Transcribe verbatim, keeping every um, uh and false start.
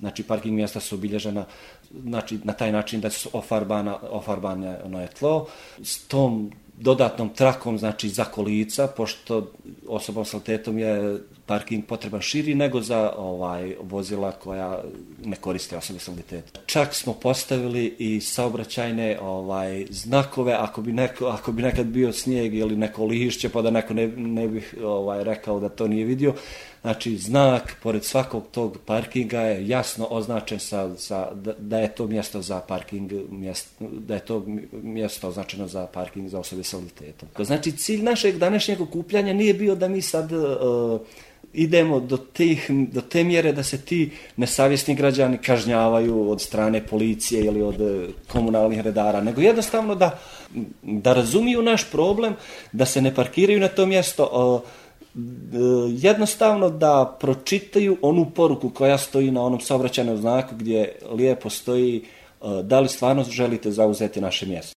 znači parking mjesta su obilježena znači, na taj način da su ofarbana, ofarbane ono je tlo, s tom dodatnom trakom znači za kolica, pošto osobom s invaliditetom je parking potreban širi nego za ovaj vozila koja ne koriste osobe s invaliditetom. Čak smo postavili i saobraćajne ovaj znakove ako bi neko ako bi nekad bio snijeg ili neko lišće pa da neko ne, ne bih ovaj rekao da to nije vidio. Znači znak pored svakog tog parkinga je jasno označen sa, sa da, da je to mjesto za parking, mjesto, da je to mjesto označeno za parking za osobe s invaliditetom. Znači cilj našeg današnjeg okupljanja nije bio da mi sad uh, idemo do, tih, do te mjere da se ti nesavjesni građani kažnjavaju od strane policije ili od komunalnih redara, nego jednostavno da, da razumiju naš problem, da se ne parkiraju na to mjesto, jednostavno da pročitaju onu poruku koja stoji na onom saobraćajnom znaku gdje lijepo stoji da li stvarno želite zauzeti naše mjesto.